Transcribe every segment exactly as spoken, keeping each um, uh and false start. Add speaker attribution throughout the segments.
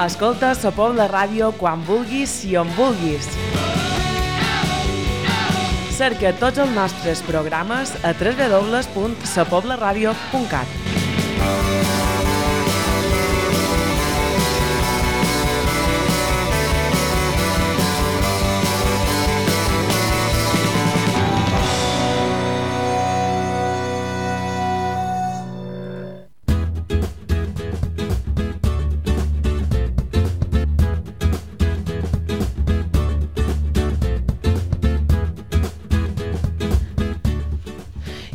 Speaker 1: Escolta Sa Pobla Ràdio quan vulguis i on vulguis. Cerca tots els nostres programes a w w w punt sa pobla ràdio punt cat.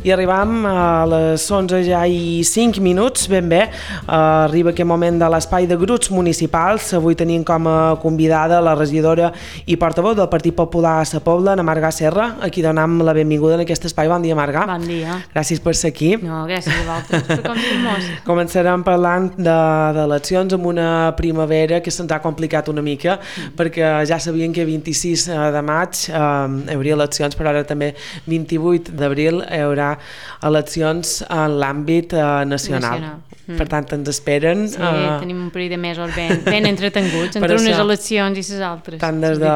Speaker 1: I arribam a les onze ja i cinc minuts, ben bé. Uh, arriba aquest moment de l'espai de grups municipals. Avui tenim com a convidada la regidora i portaveu del Partit Popular a Sa Pobla, na Marga Serra. Aquí donam la benvinguda en aquest espai. Bon dia, Marga.
Speaker 2: Bon dia.
Speaker 1: Gràcies per ser aquí.
Speaker 2: No, gràcies a vosaltres per convidar-nos.
Speaker 1: Començarem parlant d'eleccions amb una primavera que se'ns ha complicat una mica, mm. perquè ja sabien que vint-i-sis de maig eh, hi hauria eleccions, però ara també vint-i-vuit d'abril hi haurà eleccions en l'àmbit eh, nacional. nacional. Mm. Per tant, ens esperen...
Speaker 2: Sí, uh, tenim un període de mesos ben, ben entretenguts, entre unes això, eleccions i les altres.
Speaker 1: Tant des, de,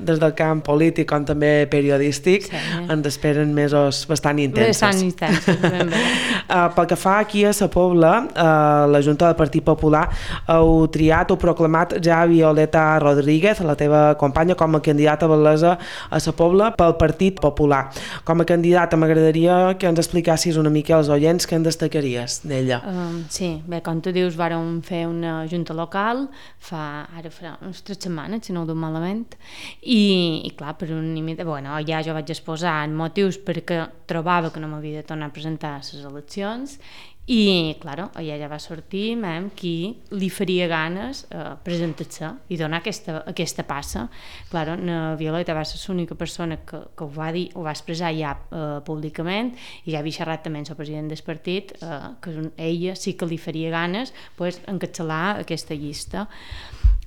Speaker 1: des del camp polític com també periodístic, sí. ens esperen mesos bastant intensos.
Speaker 2: Bastant intensos, ben bé.
Speaker 1: uh, pel que fa aquí a Sa Pobla, uh, la Junta del Partit Popular heu triat o proclamat ja Violeta Rodríguez, la teva companya, com a candidata valesa a Sa Pobla pel Partit Popular. Com a candidata m'agradaria que ens explicassis una mica als oients què en destacaries d'ella.
Speaker 2: Um, sí, bé, com tu dius, vàrem fer una junta local fa, ara farà unes tres setmanes, si no ho dic malament, i, i clar, per un límit, bueno, ja jo vaig exposar motius perquè trobava que no m'havia de tornar a presentar a les eleccions. I, clar, ella ja va sortir amb qui li faria ganes eh, presentar-se i donar aquesta, aquesta passa. Clar, la Violeta va ser l'única persona que, que ho va dir, ho va expressar ja eh, públicament, i ja havia xerrat també amb el president del partit, eh, que ella sí que li faria ganes pues, encapçalar aquesta llista.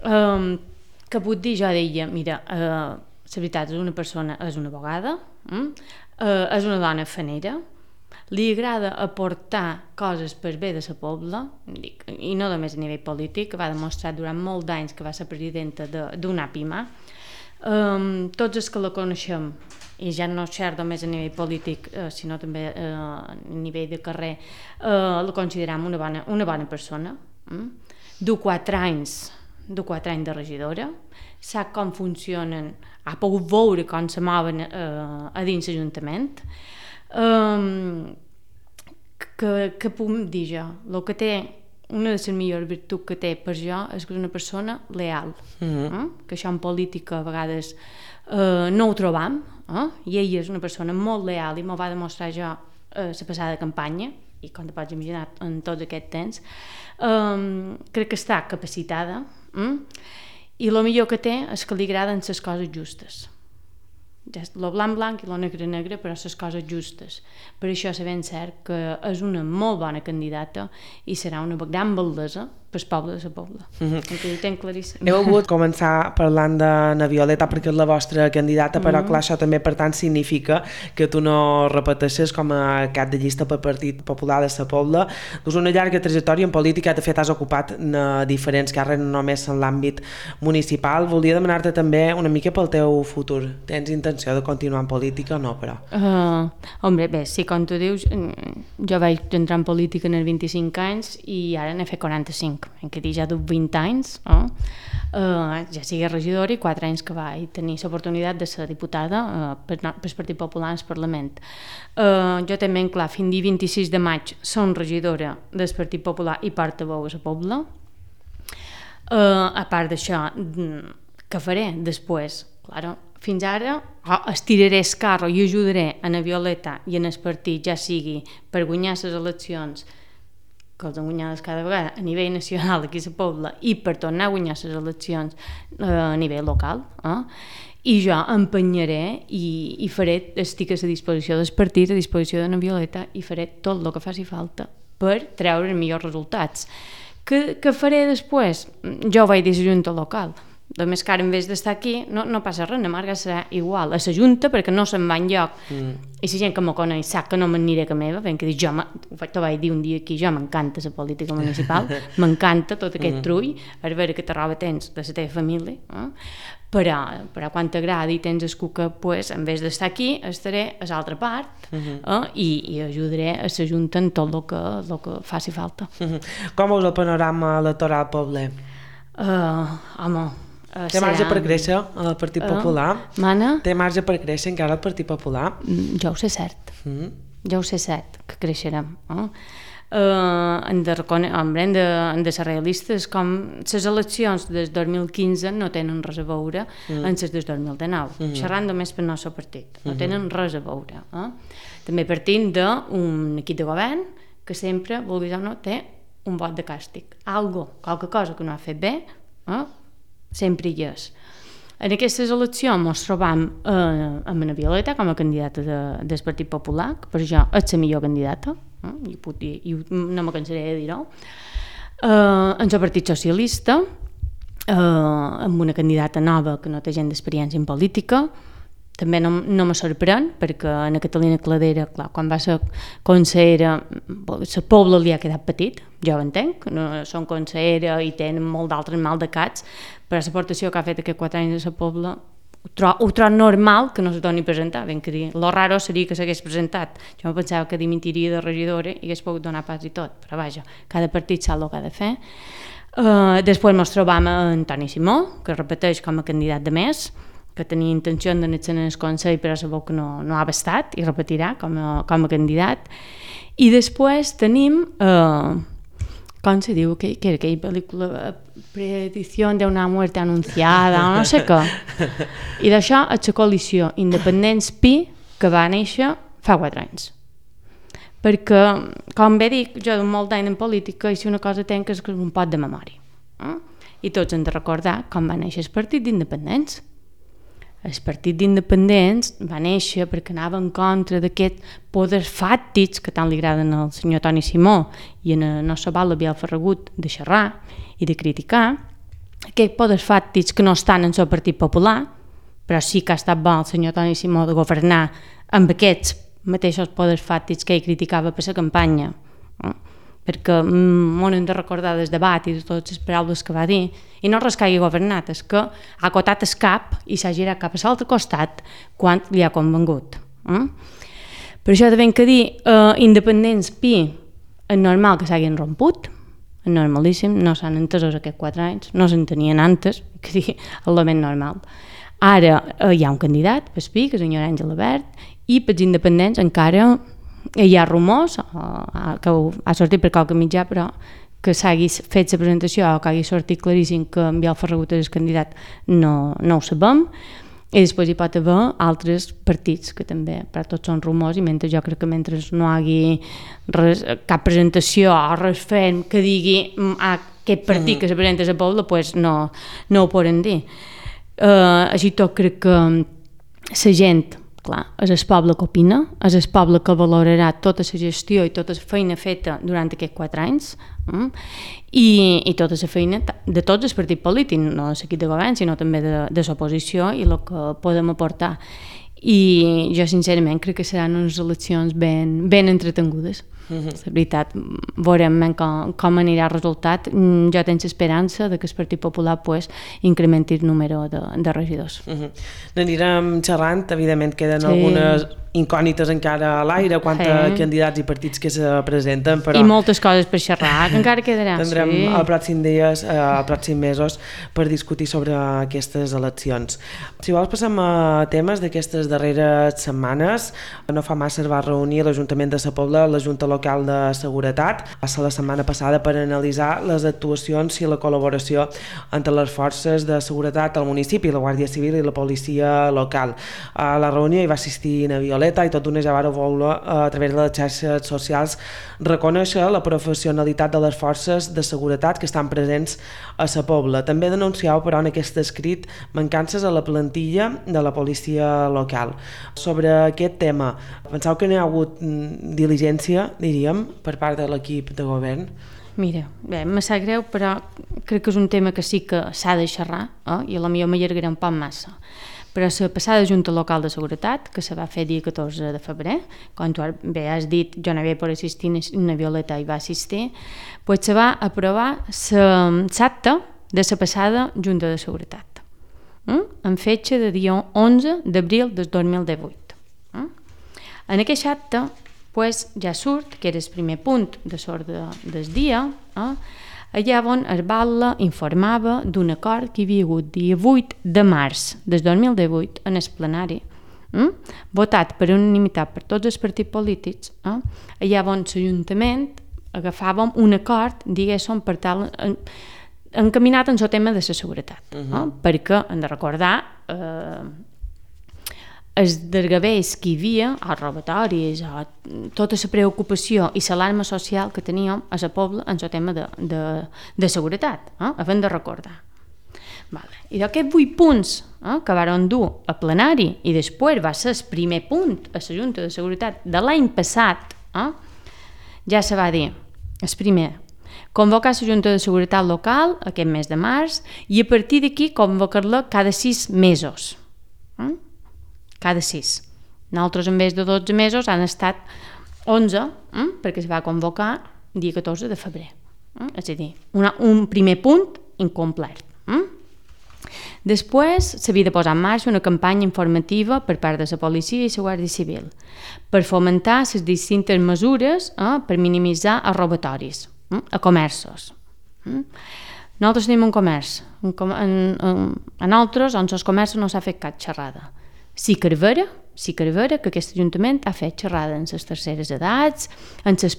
Speaker 2: Eh, què puc dir jo d'ella? Mira, eh, la veritat, és una persona, és una abogada, mm? eh, és una dona fanera, li agrada aportar coses per bé de Sa Pobla, i no només a nivell polític, va demostrar durant molts d'anys que va ser presidenta d'una APIMA. Um, tots els que la coneixem, i ja no xer només a nivell polític, eh, sinó també eh, a nivell de carrer, eh, la considerem una bona, una bona persona. Mm? Du quatre anys, du quatre anys de regidora, sap com funcionen, ha pogut veure com se mouen eh, a dins l'Ajuntament. Um, que, que puc dir jo? El que té, una de les millors virtuts que té per jo és que és una persona leal, mm-hmm. eh? que això en política a vegades eh, no ho trobam, eh? I ella és una persona molt leal i m'ho va demostrar jo a eh, la passada campanya, i com te pots imaginar en tot aquest temps. Um, crec que està capacitada, eh? I el millor que té és que li agraden les coses justes. El blanc blanc i el negre negre, però les coses justes. Per això sé ben cert que és una molt bona candidata i serà una gran bellesa pel poble de Sa Pobla. Mm-hmm. Ho tenc claríssim.
Speaker 1: Heu hagut començar parlant de na Violeta perquè és la vostra candidata, però mm-hmm. clar, això també per tant significa que tu no repeteixes com a cap de llista pel Partit Popular de Sa Pobla. Dus una llarga trajectòria en política, de fet has ocupat diferents càrrecs, no només en l'àmbit municipal. Volia demanar-te també una mica pel teu futur. Tens intenció de continuar en política o no, però?
Speaker 2: Uh, hombre, bé, sí, com tu dius, jo vaig entrar en política en els vint-i-cinc anys i ara n'he fet quaranta-cinc. En què ja duc vint anys, eh? Uh, ja sigui regidora i quatre anys que vaig tenir l'oportunitat de ser diputada uh, per, per Partit Popular al Parlament. Uh, jo també, clar, fins al vint-i-sis de maig som regidora del Partit Popular i portaveu a Sa Pobla. Uh, a part d'això, què faré després? Claro, fins ara oh, estiraré el carro i ajudaré a la Violeta i en el partit, ja sigui per guanyar les eleccions, que els han guanyat cada vegada a nivell nacional aquí a Sa Pobla, i per tornar a guanyar les eleccions eh, a nivell local. Eh? I jo empenyaré i, i faré, estic a la disposició del partit, a disposició de la Violeta, i faré tot el que faci falta per treure els millors resultats. Què, què faré després? Jo vaig dir la Junta local. Només que ara, en vez d'estar aquí, no, no passa res, Namarga serà igual a la Junta, perquè no se'n va enlloc. Mm. I la gent que me coneix sap que no m'aniré que meva, ben que dic, jo, t'ho vaig dir un dia aquí, jo m'encanta la política municipal, m'encanta tot aquest mm. trull, a veure que te roba tens de la teva família, eh? però, però quan t'agrada i tens el que, pues, en vez d'estar aquí, estaré a l'altra part mm-hmm. eh? I, i ajudaré a la Junta en tot el que, el que faci falta.
Speaker 1: Mm-hmm. Com veus el panorama electoral Poblet?
Speaker 2: Uh, home, Uh,
Speaker 1: Té marge per créixer el Partit uh, Popular?
Speaker 2: Mana?
Speaker 1: Té marge per créixer encara el Partit Popular?
Speaker 2: Mm, jo ho sé cert. Mm. Jo ho sé cert, que creixerem. Eh? Uh, hem de, hombre, hem de, hem de ser realistes, com les eleccions del dos mil quinze no tenen res a veure mm. amb les del dos mil dinou. Mm. Xerrant només pel nostre partit. No mm. tenen res a veure. Eh? També partint d'un equip de govern que sempre, vulguis o no, té un vot de càstig. Algo, qualque cosa que no ha fet bé, eh? Sempre hi és. En aquestes eleccions ens trobam eh, amb Ana Violeta com a candidata de, del Partit Popular, que per jo és la millor candidata, eh? I, puc dir, i no me cansaré de dir-ho. Eh, en el Partit Socialista, eh, amb una candidata nova que no té gent d'experiència en política, també no, no me sorprèn, perquè a Catalina Cladera, clar, quan va ser consellera, el poble li ha quedat petit, jo ho entenc, no són consellera i tenen molt d'altres maldecats, però l'aportació que ha fet aquests quatre anys a la poble ho trobo, ho trobo normal que no se torni a presentar, ben que dir. Lo raro seria que s'hagués presentat. Jo pensava que dimitiria de regidora i hagués pogut donar pas i tot, però vaja, cada partit sap el que ha de fer. Uh, després ens trobam a Antoni Simó, que repeteix com a candidat de més, que tenia intenció d'anar en el Consell, però sabeu que no, no ha bastat i repetirà com a, com a candidat. I després tenim, eh, com se diu, que, que era aquella pel·lícula, Predicció d'una muerte anunciada, o no sé què. I d'això és la coalició Independents Pi, que va néixer fa quatre anys. Perquè, com bé dic, jo d'un molt d'any en política i si una cosa tenc és que és un pot de memòria. Eh? I tots hem de recordar com va néixer el Partit d'Independents. El Partit d'Independents va néixer perquè anava en contra d'aquests poders fàctics que tant li agraden al senyor Toni Simó i en el nostre val Biel Ferragut de xerrar i de criticar, aquests poders fàctics que no estan en el Partit Popular, però sí que ha estat bo el senyor Toni Simó de governar amb aquests mateixos poders fàctics que ell criticava per la campanya, eh? Perquè m'ho hem de recordar del debat i de totes les paraules que va dir, i no res que hagi governat, és que ha acotat el cap i s'ha girat cap a l'altre costat quan li ha convengut. Eh? Per això devem que dir, eh, independents Pi, és normal que s'hagin romput, és normalíssim, no s'han entesos aquests quatre anys, no s'entenien antes, que dir, és el més normal. Ara eh, hi ha un candidat, per Pi, que és el senyor Àngel Albert, i pels independents encara hi ha rumors, uh, que ha sortit per qualque mitjà, però que s'hagi fet la presentació o que hagi sortit claríssim que en Biel Ferragut és el candidat, no, no ho sabem. I després hi pot haver altres partits que també, però tots són rumors, i mentre jo crec que mentre no hi hagi res, cap presentació o res fent que digui ah, aquest partit mm. que se presenta a la poble, pues no, no ho poden dir. Uh, així tot crec que la gent, clar, és el poble que opina, és el poble que valorarà tota la gestió i tota la feina feta durant aquests quatre anys, mm? I, i tota la feina de tots els partits polítics, no de l'equip de govern, sinó també de, de l'oposició i el que podem aportar. I jo sincerament crec que seran unes eleccions ben, ben entretengudes. Mm-hmm. La veritat, veurem com, com anirà el resultat. Jo tenc esperança de que el Partit Popular pues, incrementi el número de, de regidors. Mm-hmm.
Speaker 1: N'anirem xerrant, evidentment queden sí. algunes incògnites encara a l'aire quant a sí. candidats i partits que se presenten, però...
Speaker 2: I moltes coses per xerrar, que encara quedarà.
Speaker 1: Tindrem
Speaker 2: sí.
Speaker 1: els pròxims dies, eh, els pròxims mesos per discutir sobre aquestes eleccions. Si vols passem a temes d'aquestes darreres setmanes. No fa massa es va reunir l'Ajuntament de Sa Pobla, la Junta Local de Seguretat, va ser la setmana passada per analitzar les actuacions i la col·laboració entre les forces de seguretat al municipi, la Guàrdia Civil i la policia local. A la reunió hi va assistir Ana Violeta, Violeta i tot d'una ja vàreu voler a través de les xarxes socials reconèixer la professionalitat de les forces de seguretat que estan presents a la Pobla. També denuncieu, però, en aquest escrit mancances a la plantilla de la policia local. Sobre aquest tema, penseu que n'hi ha hagut diligència, diríem, per part de l'equip de govern?
Speaker 2: Mira, bé, me sap greu, però crec que és un tema que sí que s'ha de xerrar, eh? I a la millor m'allargaré un poc massa. Però la passada Junta Local de Seguretat, que se va fer dia catorze de febrer, com tu bé has dit, jo no havia per assistir, na Violeta hi va assistir, pues se va aprovar l'acte de la passada Junta de Seguretat, eh? En fetge de dia onze d'abril del dos mil divuit. Eh? En aquest acte pues, ja surt, que era el primer punt de l'ordre del dia, eh? Allà on el Batlle informava d'un acord que hi havia hagut dia vuit de març del dos mil divuit en el plenari, eh? votat per unanimitat per tots els partits polítics, eh? allà on l'Ajuntament agafàvem un acord, diguéssim, per tal, en, encaminat en el tema de la seguretat, uh -huh. eh? perquè hem de recordar eh, els desgavells que hi havia, els robatoris, o tota la preocupació i l'alarma social que teníem a la Pobla en el tema de, de, de seguretat, eh? havent de recordar. Vale. I d'aquests vuit punts eh, que varen dur a plenari i després va ser el primer punt a la Junta de Seguretat de l'any passat, eh, ja se va dir, el primer, convocar la Junta de Seguretat local aquest mes de març i a partir d'aquí convocar-la cada sis mesos. Eh? Cada sis. Nosaltres en vez de dotze mesos han estat onze, eh? perquè es va convocar dia catorze de febrer. Eh? És a dir, una, un primer punt incomplet. Eh? Després s'havia de posar en marxa una campanya informativa per part de la policia i la Guàrdia Civil per fomentar les distintes mesures eh? per minimitzar els robatoris eh? a comerços. Eh? Nosaltres tenim un comerç. Un com en, en, en altres, on els comerços no s'ha fet cap xerrada. Sí que és vera, sí que és vera que aquest Ajuntament ha fet xerrada en les terceres edats, en els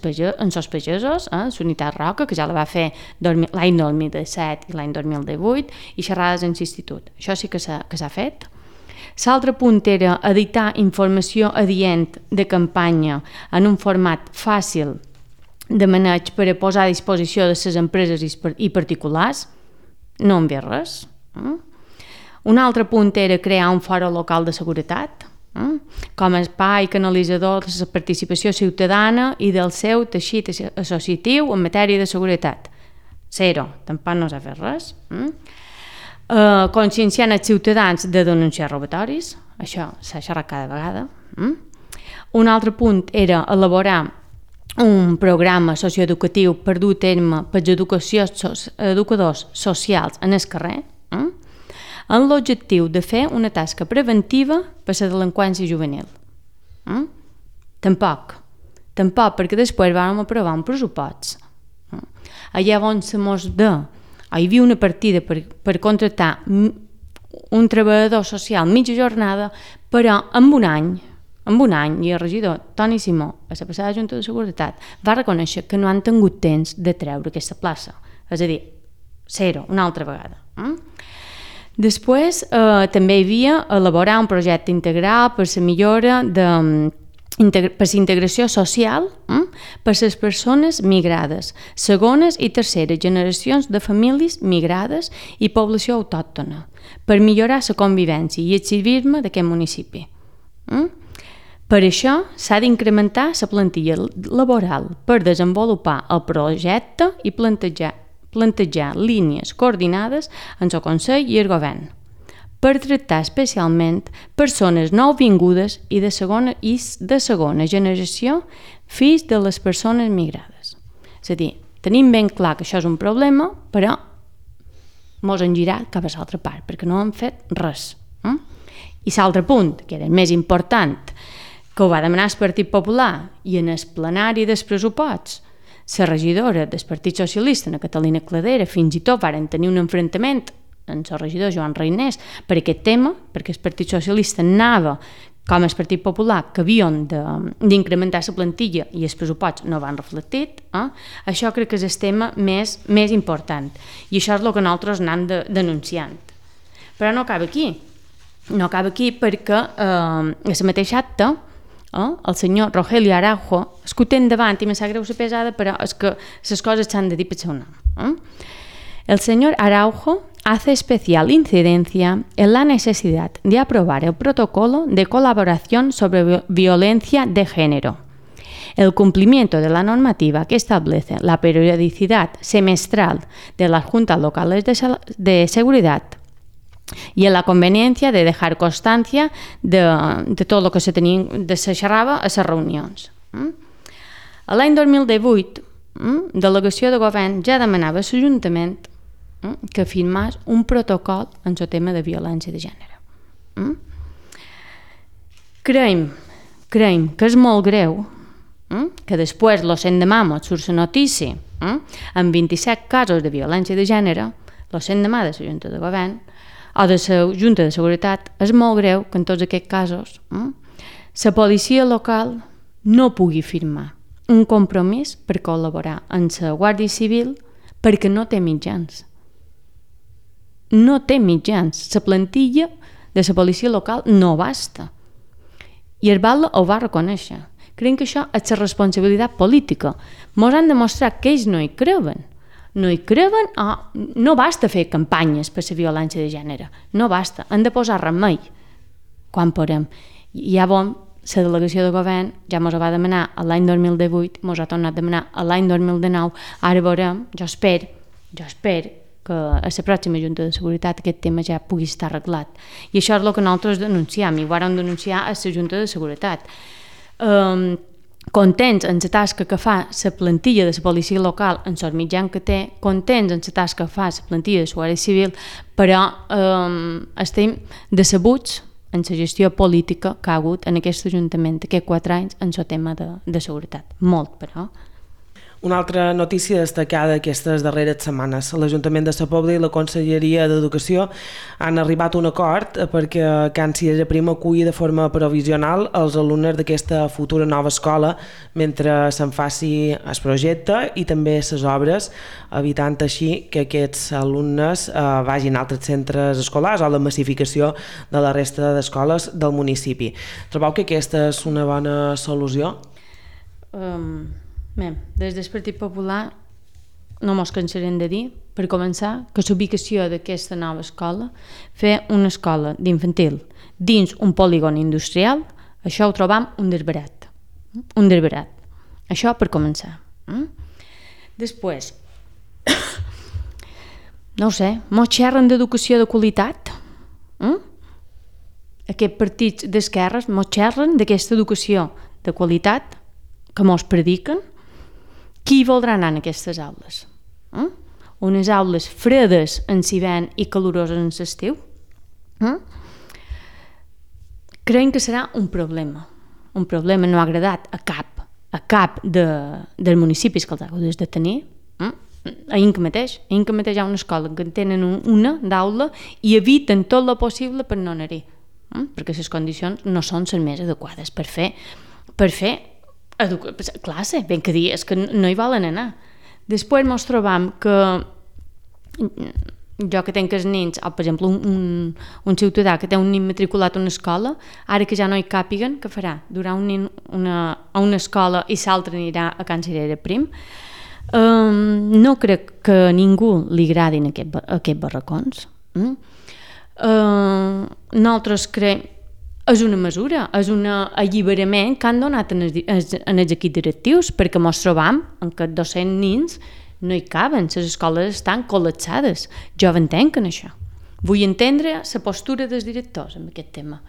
Speaker 2: pagesos, eh, l'Unitat Roca, que ja la va fer l'any dos mil disset i l'any dos mil divuit, i xerrades en l'institut. Això sí que s'ha fet. L'altre punt era editar informació adient de campanya en un format fàcil de maneig per a posar a disposició de les empreses i particulars. No en ve res. Eh? Un altre punt era crear un fòrum local de seguretat, eh? com a espai canalitzador de la participació ciutadana i del seu teixit associatiu en matèria de seguretat. Zero, tampoc no s'ha fet res. Eh? Uh, conscienciant els ciutadans de denunciar robatoris, això s'ha xerrat cada vegada. Eh? Un altre punt era elaborar un programa socioeducatiu per dur a terme per educadors socials en el carrer, eh? amb l'objectiu de fer una tasca preventiva per a la delinqüència juvenil. Eh? Tampoc. Tampoc, perquè després vam aprovar un pressupost. Eh? Allà on se mos de, hi havia una partida per, per contractar un treballador social mitja jornada, però en un any, en un any, i el regidor Toni Simó, a la passada Junta de Seguretat, va reconèixer que no han tingut temps de treure aquesta plaça. És a dir, zero, una altra vegada. Eh? Després eh, també hi havia elaborar un projecte integral per la millora de, per la integració social eh, per les persones migrades, segones i terceres generacions de famílies migrades i població autòctona, per millorar la convivència i el civisme d'aquest municipi. Eh? Per això s'ha d'incrementar la plantilla laboral per desenvolupar el projecte i plantejar plantejar línies coordinades entre el Consell i el Govern per tractar especialment persones nouvingudes i de segona, i de segona generació fills de les persones migrades. És a dir, tenim ben clar que això és un problema, però mos han girat cap a l'altra part, perquè no han fet res. Eh? I l'altre punt, que era el més important, que ho va demanar el Partit Popular i en el plenari dels pressuposts, la regidora del Partit Socialista, la Catalina Cladera, fins i tot varen tenir un enfrontament amb el regidor Joan Reinés per aquest tema, perquè el Partit Socialista anava, com el Partit Popular, que havien d'incrementar la plantilla i els pressuposts no van reflectit. Eh? Això crec que és el tema més, més important. I això és el que nosaltres anem de, denunciant. Però no acaba aquí. No acaba aquí perquè eh, a la mateixa acta eh? el senyor Rogelio Araujo, és que ho té endavant i me sap greu la pesada, però és que les coses s'han de dir per seu nom. Eh? El señor Araujo hace especial incidencia en la necesidad de aprobar el protocolo de colaboración sobre violencia de género, el cumplimiento de la normativa que establece la periodicidad semestral de las juntas locales de, de seguridad y en la conveniencia de dejar constancia de, de tot el que se, tenia, de se xerrava a les reunions. A l'any dos mil divuit, delegació de govern ja demanava a l'Ajuntament que firmés un protocol en el tema de violència de gènere. Creiem, creiem que és molt greu que després, l'endemà, mos surt la notícia amb vint-i-set casos de violència de gènere, l'endemà de la Junta de Govern o de la Junta de Seguretat, és molt greu que en tots aquests casos la policia local no pugui firmar un compromís per col·laborar amb la Guàrdia Civil perquè no té mitjans. No té mitjans. La plantilla de la policia local no basta. I el Batlle ho va reconèixer. Creiem que això és la responsabilitat política. Ens han demostrat que ells no hi creuen. No hi creuen o no basta fer campanyes per la violència de gènere. No basta. Han de posar remei quan podem. I ja bon, la delegació de govern ja ens va demanar l'any dos mil divuit, ens ha tornat a demanar l'any dos mil dinou, ara veurem, jo espero, jo espero que a la pròxima Junta de Seguretat aquest tema ja pugui estar arreglat. I això és el que nosaltres denunciem, i ho vam denunciar a la Junta de Seguretat. Um, contents en la tasca que fa la plantilla de la policia local en els mitjans que té, contents en la tasca que fa la plantilla de la Guàrdia Civil, però um, estem decebuts en la gestió política que ha hagut en aquest Ajuntament aquests quatre anys en el tema de, de seguretat. Molt, però.
Speaker 1: Una altra notícia destacada aquestes darreres setmanes. L'Ajuntament de Sa Pobla i la Conselleria d'Educació han arribat a un acord perquè Can Cirera Prim aculli de forma provisional els alumnes d'aquesta futura nova escola mentre se'n faci el projecte i també les obres, evitant així que aquests alumnes eh, vagin a altres centres escolars o la massificació de la resta d'escoles del municipi. Trobeu que aquesta és una bona solució?
Speaker 2: Um... Bé, des del Partit Popular no mos cansarem de dir, per començar, que l'ubicació d'aquesta nova escola, fer una escola d'infantil dins un polígon industrial, això ho trobam un desbarat. Un desbarat. Això per començar. Després, no ho sé, mos xerren d'educació de qualitat? Aquests partits d'esquerres mos xerren d'aquesta educació de qualitat que mos prediquen. Qui voldrà anar en aquestes aules? Eh? Unes aules fredes en l'hivern i caloroses en l'estiu? Eh? Creiem que serà un problema. Un problema no ha agradat a cap, a cap de, dels municipis que els hagués de tenir. Eh? A Inca mateix. A Inca mateix hi ha una escola que en tenen una d'aula i eviten tot el possible per no anar-hi. Eh? Perquè les condicions no són les més adequades per fer, per fer Educa... classe, ben que dir, és que no hi volen anar. Després ens trobam que jo que tenc els nens, o per exemple un, un, un ciutadà que té un nen matriculat a una escola, ara que ja no hi càpiguen, què farà? Durà un nen una, a una escola i l'altre anirà a Can Cirera Prim. Um, no crec que a ningú li agradin aquests aquest barracons. Mm? Uh, nosaltres creiem és una mesura, és un alliberament que han donat en els, en els equips directius, perquè ens trobam en que dos-cents nens no hi caben, les escoles estan col·lapsades. Jo entenc en això. Vull entendre la postura dels directors en aquest tema.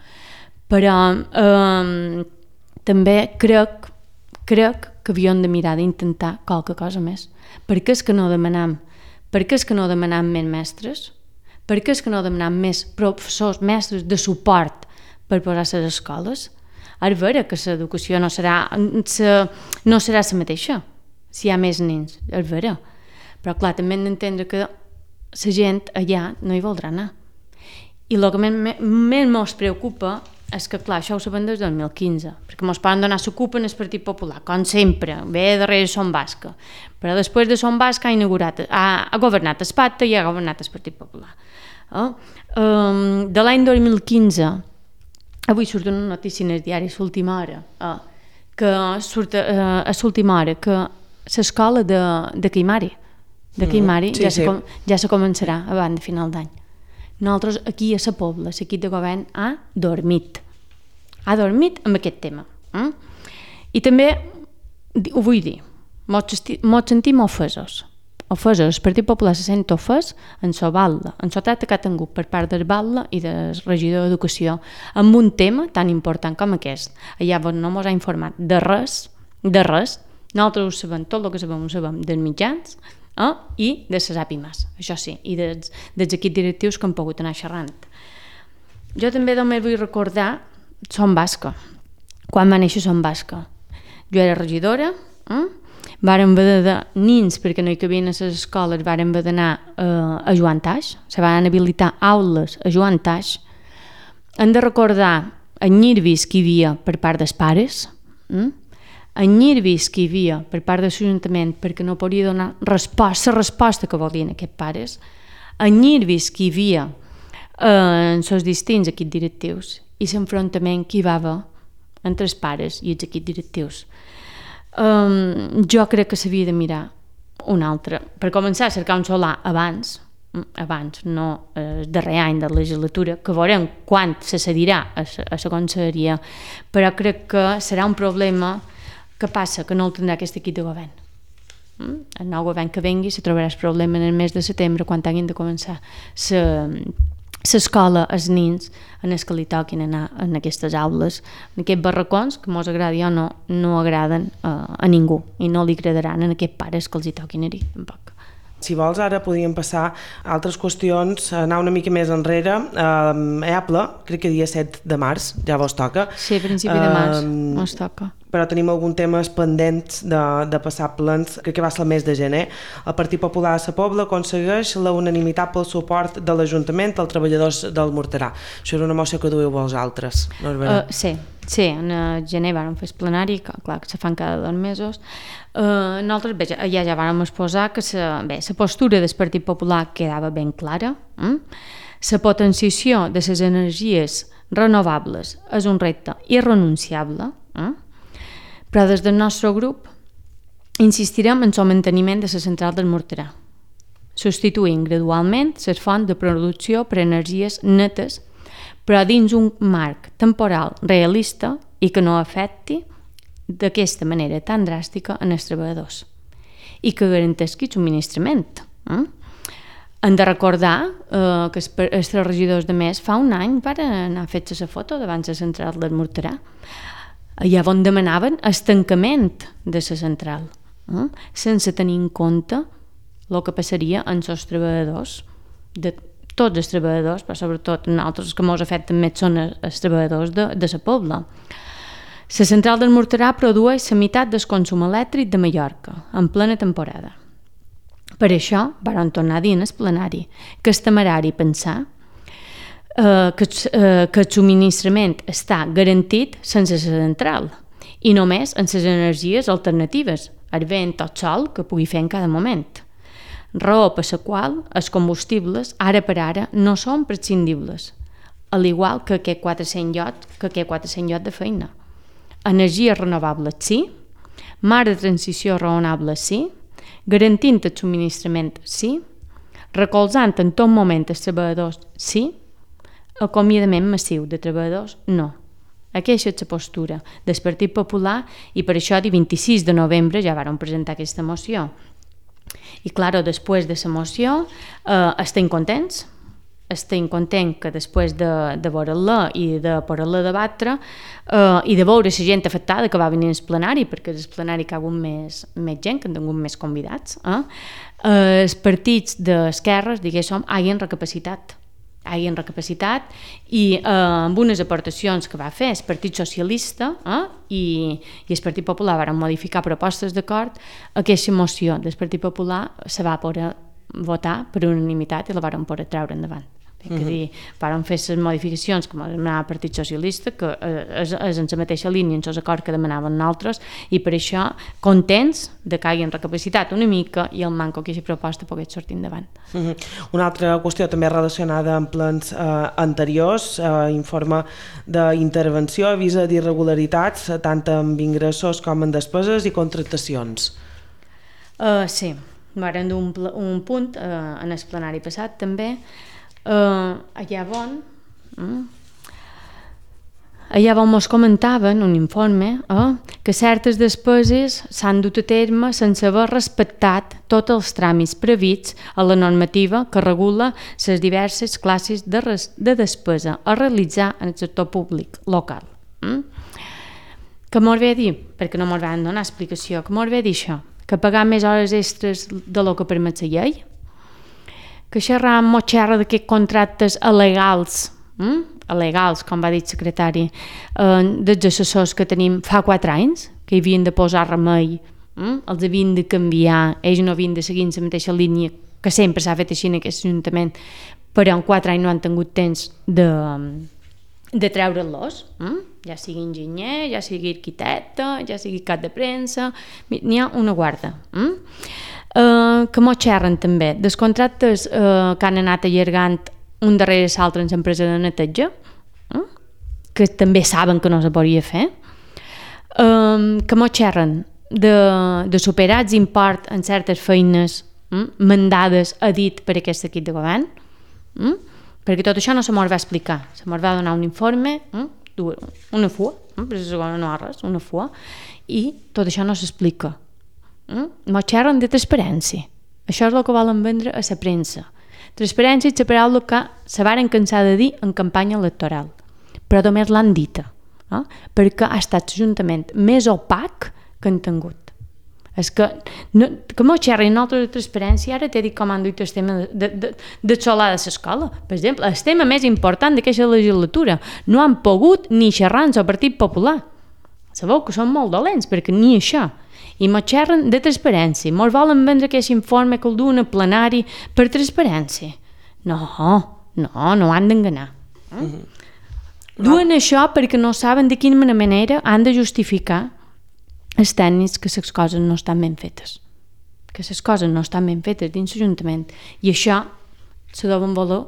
Speaker 2: Però eh, també crec, crec que havíem de mirar d'intentar qualque cosa més. Per què és que no demanam? Per què és que no demanam més mestres? Per què és que no demanam més professors, mestres de suport per posar a les escoles? És vera que l'educació no serà no serà la mateixa si hi ha més nens, és vera. Però clar, també hem d'entendre que la gent allà no hi voldrà anar. I el que més ens preocupa és que, clar, això ho sabem des del dos mil quinze, perquè ens poden donar la culpa en el Partit Popular, com sempre, ve darrere Son Basca. Però després de Son Basca ha, inaugurat, ha, ha governat el Pacte i ha governat el Partit Popular. Eh? Um, de l'any dos mil quinze avui surt una notícia en el diari a l'última hora, eh, que surt eh, a l'última hora que l'escola de, de Caimari, de Caimari mm, sí, ja, sí. Se, ja se començarà abans de final d'any. Nosaltres aquí a la Pobla, l'equip de govern ha dormit. Ha dormit amb aquest tema. Eh? I també, ho vull dir, mos sentim ofesos. Ofesos, el Partit Popular se sent ofès en la batlla, en la tracte que ha tingut per part del batlla i del regidor d'Educació amb un tema tan important com aquest. Llavors no mos ha informat de res, de res. Nosaltres ho sabem, tot el que sabem ho sabem dels mitjans eh? I de les àpimes, això sí, i dels, dels equips directius que han pogut anar xerrant. Jo també només vull recordar Son Basca, quan va néixer Son Basca. Jo era regidora, eh? Vàrem haver de nins, perquè no hi cabien a les escoles, vàrem haver d'anar eh, a Joan Taix, se van habilitar aules a Joan Taix. Hem de recordar els nervis que hi havia per part dels pares, eh? els nervis que hi havia per part de l'Ajuntament perquè no podia donar resposta, la resposta que volien aquests pares, els nervis que hi havia eh, en els distints equips directius i l'enfrontament que hi va haver entre els pares i els equips directius. Um, jo crec que s'havia de mirar un altre. Per començar a cercar un solar abans, abans, no el darrer any de la legislatura, que veurem quan se cedirà a la conselleria, però crec que serà un problema que passa, que no el tindrà aquest equip de govern. El nou govern que vengui se trobarà el problema en el mes de setembre, quan hagin de començar l'escola, els nins, en els que li toquin anar en aquestes aules, en aquests barracons que mos agradi o no, no agraden uh, a ningú i no li agradaran a aquests pares que els hi toquin anar-hi, tampoc.
Speaker 1: Si vols, ara podríem passar a altres qüestions, anar una mica més enrere. Uh, Apple, crec que dia set de març, ja vos toca.
Speaker 2: Sí, a principi de març, uh, mos toca.
Speaker 1: Però tenim algun temes pendents de, de passar plens, que, que va ser el mes de gener. El Partit Popular de la Pobla aconsegueix la unanimitat pel suport de l'Ajuntament als treballadors del Morterà. Això era una moció que dueu vosaltres, no? Uh,
Speaker 2: sí, sí, en gener vam fer el plenari, que, clar, que se fan cada dos mesos. Uh, nosaltres bé, ja, ja vam exposar que la postura del Partit Popular quedava ben clara. La eh? potenciació de les energies renovables és un repte irrenunciable, eh? Però des del nostre grup insistirem en el manteniment de la central del Morterà, substituint gradualment les fonts de producció per energies netes, però dins un marc temporal realista i que no afecti d'aquesta manera tan dràstica en els treballadors i que garanteixi el subministrament. Eh? Hem de recordar eh, que els tres regidors de més fa un any van anar a fer-se la foto davant la central del Morterà. Allà on demanaven el tancament de la central, eh? sense tenir en compte el que passaria amb els treballadors, de tots els treballadors, però sobretot nosaltres que ens afecten més són els treballadors de, de la Pobla. La central del Morterà produeix la meitat del consum elèctric de Mallorca, en plena temporada. Per això van tornar a dir en el plenari que és temerari pensar Uh, que, uh, que el subministrament està garantit sense la central i només en les energies alternatives, el vent o el sol que pugui fer en cada moment. Raó per la qual els combustibles ara per ara no són prescindibles, al igual que aquest quatre-cents llocs, que aquest quatre-cents llocs de feina. Energies renovables sí, mar de transició raonable sí, garantint el subministrament sí, recolzant en tot moment els treballadors sí, acomiadament massiu de treballadors, no. Aquesta és la postura del Partit Popular i per això el vint-i-sis de novembre ja varen presentar aquesta moció. I, clar, després de la moció eh, estem contents, estem contents que després de, de veure-la i de poder-la debatre eh, i de veure la gent afectada que va venir al plenari, perquè és el plenari que ha hagut més, més gent, que han tingut més convidats, eh, eh, els partits d'esquerres, diguéssim, hagin recapacitat. hagin recapacitat i eh, amb unes aportacions que va fer el Partit Socialista eh, i, i el Partit Popular van modificar propostes d'acord, aquesta moció del Partit Popular se va poder votar per unanimitat i la van poder treure endavant. és a dir, varen fer les modificacions que demanava el Partit Socialista, que és, és en la mateixa línia en els acords que demanaven nosaltres, i per això contents de que hagin recapacitat una mica i el manco que aquesta proposta pogués sortir endavant.
Speaker 1: Uh-huh. Una altra qüestió també relacionada amb plans eh, anteriors, eh, informe d'intervenció, avisa d'irregularitats, tant amb ingressos com en despeses i contractacions.
Speaker 2: Uh, sí, varen dur un, un punt uh, en el plenari passat també. Uh, allà on mm, allà on mos comentaven un informe eh, que certes despeses s'han dut a terme sense haver respectat tots els tràmits prevists a la normativa que regula les diverses classes de, res, de despesa a realitzar en el sector públic local. Mm? Que mos ve a dir, perquè no mos van donar explicació, que mos ve a dir això, que pagar més hores extres de lo que permet la llei, que xerrar amb motxerra d'aquests contractes alegals, hm? alegals, com va dir el secretari, eh, dels assessors que tenim fa quatre anys, que hi havien de posar remei, hm? els havien de canviar, ells no havien de seguir en la mateixa línia, que sempre s'ha fet així en aquest ajuntament, però en quatre anys no han tingut temps de, de treure-los, hm? ja sigui enginyer, ja sigui arquitecte, ja sigui cap de premsa, n'hi ha una guarda. Hm? Uh, que mos xerren també dels contractes uh, que han anat allargant un darrere l'altre en l'empresa de neteja, uh, que també saben que no se podria fer, uh, que mos xerren de, de superats import en certes feines uh, mandades a dit per aquest equip de govern, uh, perquè tot això no se mos va explicar, se mos va donar un informe, uh, una fua, uh, per segona no res, una fua, i tot això no s'explica. Mm? Mos xerren de transparència. Això és el que volen vendre a la premsa. Transparència és la paraula que se varen cansar de dir en campanya electoral, però només l'han dita, eh? perquè ha estat l'Ajuntament més opac que han tingut. És que, no, que mos xerren altres de transparència, ara t'he dit com han dit el tema de, de, de, de solar de l'escola. Per exemple, el tema més important d'aquesta legislatura. No han pogut ni xerrar amb el Partit Popular. Sabeu que són molt dolents, perquè ni això. I mos xerren de transparència, mos volen vendre aquest informe que el duen a plenari per transparència. No, no, no han d'enganar. Eh? Mm-hmm. Duen això perquè no saben de quina manera han de justificar els tècnics que les coses no estan ben fetes. Que les coses no estan ben fetes dins l'Ajuntament. I això se deuen voler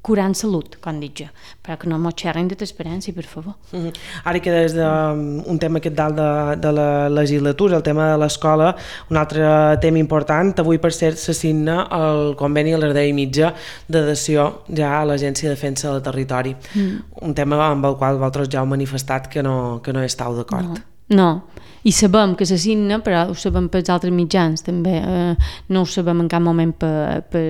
Speaker 2: curar en salut, com dic jo, però que no mos xerren de transparència, per favor.
Speaker 1: Mm-hmm. Ara que des d'un tema aquest dalt de, de la legislatura, el tema de l'escola, un altre tema important, avui per cert s'assigna el conveni a l'Ardea i mitja d'adhesió ja a l'Agència de Defensa del Territori, mm. un tema amb el qual vosaltres ja heu manifestat que no, que no esteu d'acord.
Speaker 2: No, no, i sabem que s'assigna, però ho sabem pels altres mitjans també, eh, no ho sabem en cap moment per, per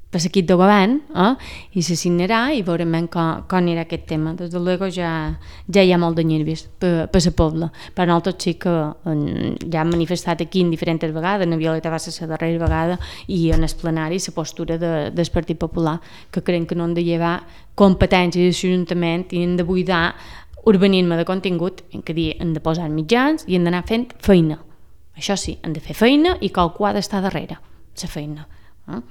Speaker 2: per l'equip de govern, eh? i s'assignarà i veurem com, com anirà aquest tema. Des de luego ja, ja hi ha molt de nervis per, per la pobla, però nosaltres sí que en, ja hem manifestat aquí en diferents vegades, en Violeta va ser la darrera vegada, i en el plenari la postura de, del Partit Popular, que creiem que no han de llevar competències de l'Ajuntament i han de buidar urbanisme de contingut, en què dir, han de posar mitjans i han d'anar fent feina. Això sí, han de fer feina i qualcú ha d'estar darrere la feina. Eh?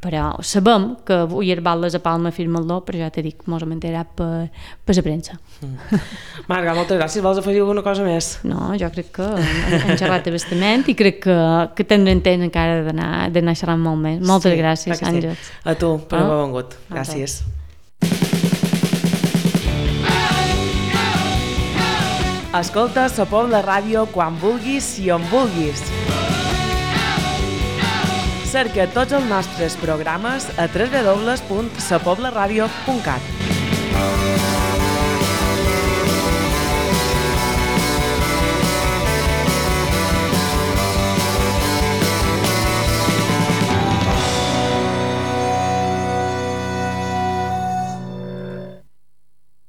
Speaker 2: Però sabem que avui el Baldes a Palma firma el do, però ja t'he dit que mos ho mentirà per, per la premsa. Mm.
Speaker 1: Marga, moltes gràcies. Vols afegir alguna cosa més?
Speaker 2: No, jo crec que hem xerrat abastament i crec que, que tindrem temps encara d'anar xerrant molt més. Moltes sí, gràcies, Àngels.
Speaker 1: Sí. A tu, per haver oh? vengut. Gràcies. Escolta la Pobla Ràdio quan vulguis i on vulguis. Cerca tots els nostres programes a w w w punt sa pobla ràdio punt cat.